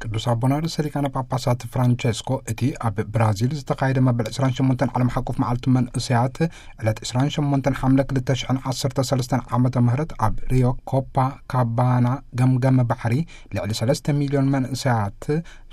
ቅዱስ ኣቦና ርእሰ ሊቃነ ጳጳሳት ፍራንቸስኮ፣ እቲ ኣብ ብራዚል ዝተኻየደ መበል ዕስራን ሸሞንተን ዓለም ሓቆፍ መዓልቲ መንእሰያት፣ ዕለት ዕስራን ሸሞንተን ሓምለ ክልተ ሽሕን ዓሰርተ ሰለስተን ዓመተ ምህረት ኣብ ሪዮ ኮፓ ካባና ገምገም ባሕሪ፣ ልዕሊ ሰለስተ ሚልዮን መንእሰያት፣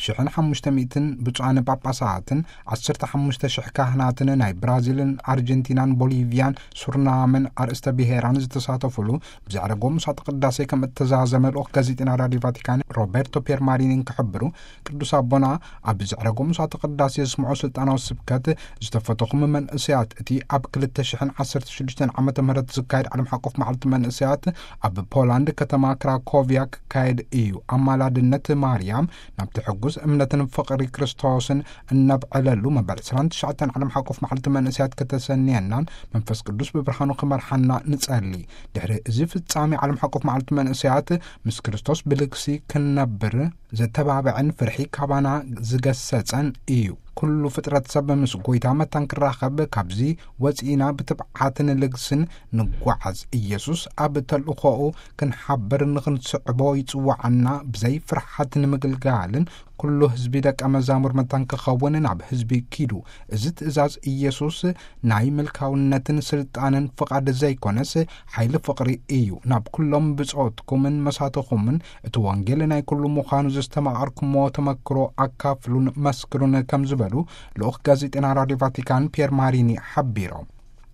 ሽሕን ሓሙሽተ ሚእትን ብፁዓን ጳጳሳትን፣ ዓሰርተ ሓሙሽተ ሽሕ ካህናትን፣ ናይ ብራዚልን ኣርጀንቲናን ቦሊቪያን ሱርናምን ኣርእስተ ብሔራን ዝተሳተፉሉ ብዘዕረጎ ምሳተ ቅዳሴ ከም እተዛዘመ ልኡኽ ጋዜጠና ራዲዮ ቫቲካን ሮቤርቶ ፒየርማሪኒ ክሕብሩ፣ ቅዱስ ኣቦና ኣብ ዘዕረጎ ምሳተ ቅዳሴ ዝስምዖ ስልጣናዊ ስብከት፣ ዝተፈተኹም መንእሰያት፣ እቲ ኣብ ክልተ ሽሕን ዓሰርተ ሽዱሽተን ዓመተ ምህረት ዝካየድ ዓለም ሓቆፍ መዓልቲ መንእሰያት ኣብ ፖላንድ ከተማ ክራኮቪያ ክካየድ እዩ። ኣማላድነት ማርያም ናብቲ ሕጉስ እምነትን ፍቕሪ ክርስቶስን እነብዕለሉ መበል ዕስራን ትሽዓተን ዓለም ሓቆፍ መዓልቲ መንእሰያት ከተሰንየናን መንፈስ ቅዱስ ብብርሃኑ ክመርሓና ንጸሊ። ድሕሪ እዚ ፍጻሜ ዓለም ሓቆፍ መዓልቲ መንእሰያት፣ ምስ ክርስቶስ ብልግሲ ክንነብር ዘተባብዐን ፍርሒ ካባና ዝገሰጸን እዩ። ኩሉ ፍጥረት ሰብ ምስ ጎይታ መታን ክራኸብ፣ ካብዚ ወጺእና ብትብዓትን ልግስን ንጓዓዝ። ኢየሱስ ኣብ ተልእኾኡ ክንሓብር ንኽንስዕቦ ይጽውዓና። ብዘይ ፍርሓት ንምግልጋልን ኩሉ ህዝቢ ደቀ መዛሙር መታን ክኸውን ናብ ህዝቢ ኪዱ። እዚ ትእዛዝ ኢየሱስ ናይ ምልካውነትን ስልጣንን ፍቓድ ዘይኮነስ፣ ሓይሊ ፍቕሪ እዩ። ናብ ኩሎም ብጾትኩምን መሳትኹምን እቲ ወንጌል ናይ ኩሉ ምዃኑ ዘስተማቐርኩሞ ተመክሮ ኣካፍሉን መስክሩን ከም ዝበሉ ልኡኽ ጋዜጠና ራዲዮ ቫቲካን ፒየር ማሪኒ ሓቢሮም።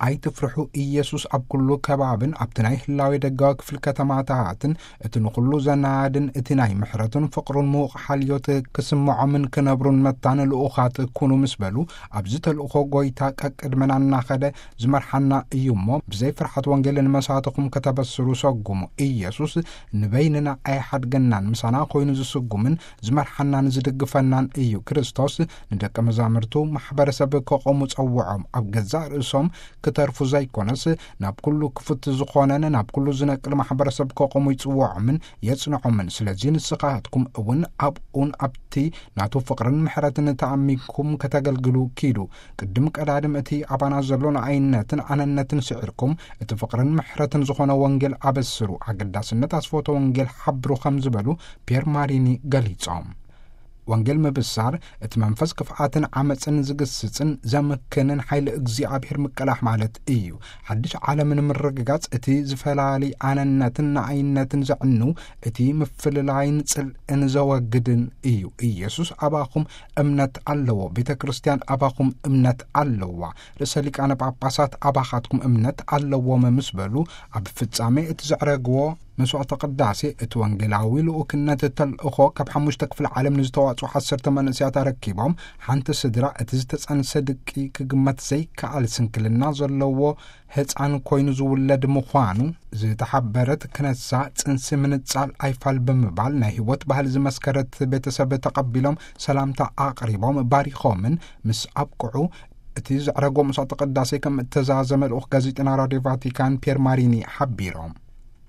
ኣይትፍርሑ፣ ኢየሱስ ኣብ ኩሉ ከባብን ኣብቲ ናይ ህላዌ ደጋዊ ክፍሊ ከተማታትን፣ እቲ ንኹሉ ዘናድን፣ እቲ ናይ ምሕረቱን ፍቕሩን ምዉቕ ሓልዮት ክስምዖምን ክነብሩን መታን ልኡኻት ኩኑ ምስ በሉ፣ ኣብዚ ተልእኾ ጎይታ ቀቅድመና እናኸደ ዝመርሓና እዩ እሞ፣ ብዘይ ፍርሓት ወንጌል ንመሳትኹም ከተበስሩ ሰጉሙ። ኢየሱስ ንበይንና ኣይሓድገናን፣ ምሳና ኮይኑ ዝስጉምን ዝመርሓናን ዝድግፈናን እዩ። ክርስቶስ ንደቀ መዛሙርቱ ማሕበረሰብ ከቆሙ ጸውዖም። ኣብ ገዛእ ርእሶም ክተርፉ ዘይኮነስ፣ ናብ ኩሉ ክፉት ዝኾነን ናብ ኩሉ ዝነቅል ማሕበረሰብ ከቆሙ ይጽውዖምን የጽንዖምን። ስለዚ ንስኻትኩም እውን ኣብኡን ኣብቲ ናቱ ፍቕርን ምሕረትን ተኣሚንኩም ከተገልግሉ ኪዱ። ቅድም ቀዳድም እቲ ኣባና ዘሎ ንኣይነትን ኣነነትን ስዒርኩም፣ እቲ ፍቕርን ምሕረትን ዝኾነ ወንጌል ኣበስሩ። ኣገዳስነት ኣስፎቶ ወንጌል ሓብሩ ከም ዝበሉ ፒየር ማሪኒ ገሊጾም። ወንጌል ምብሳር፣ እቲ መንፈስ ክፍኣትን ዓመጽን ዝግስጽን ዘምክንን ሓይሊ እግዚኣብሔር ምቅላሕ ማለት እዩ። ሓድሽ ዓለም ንምርግጋጽ፣ እቲ ዝፈላሊ ኣነነትን ንኣይነትን ዘዕኑ፣ እቲ ምፍልላይን ጽልእን ዘወግድን እዩ። ኢየሱስ ኣባኹም እምነት ኣለዎ፣ ቤተ ክርስቲያን ኣባኹም እምነት ኣለዋ፣ ርእሰ ሊቃነ ጳጳሳት ኣባኻትኩም እምነት ኣለዎም ምስ በሉ፣ ኣብ ፍጻሜ እቲ ዘዕረግዎ መስዋዕተ ቅዳሴ፣ እቲ ወንጌላዊ ልኡክነት ተልእኾ ካብ ሓሙሽተ ክፍለ ዓለም ንዝተዋጽኡ ዓሰርተ መንእሰያት ኣረኪቦም፣ ሓንቲ ስድራ እቲ ዝተጸንሰ ድቂ ክግመት ዘይከኣል ስንክልና ዘለዎ ህጻን ኮይኑ ዝውለድ ምዃኑ ዝተሓበረት ክነሳ፣ ጽንሲ ምንጻል ኣይፋል ብምባል ናይ ህይወት ባህሊ ዝመስከረት ቤተሰብ ተቐቢሎም ሰላምታ ኣቕሪቦም ባሪኾምን ምስ ኣብቅዑ፣ እቲ ዘዕረጎ መስዋዕተ ቅዳሴ ከም እተዛዘመ ልኡኽ ጋዜጠና ራዲዮ ቫቲካን ፒየር ማሪኒ ሓቢሮም።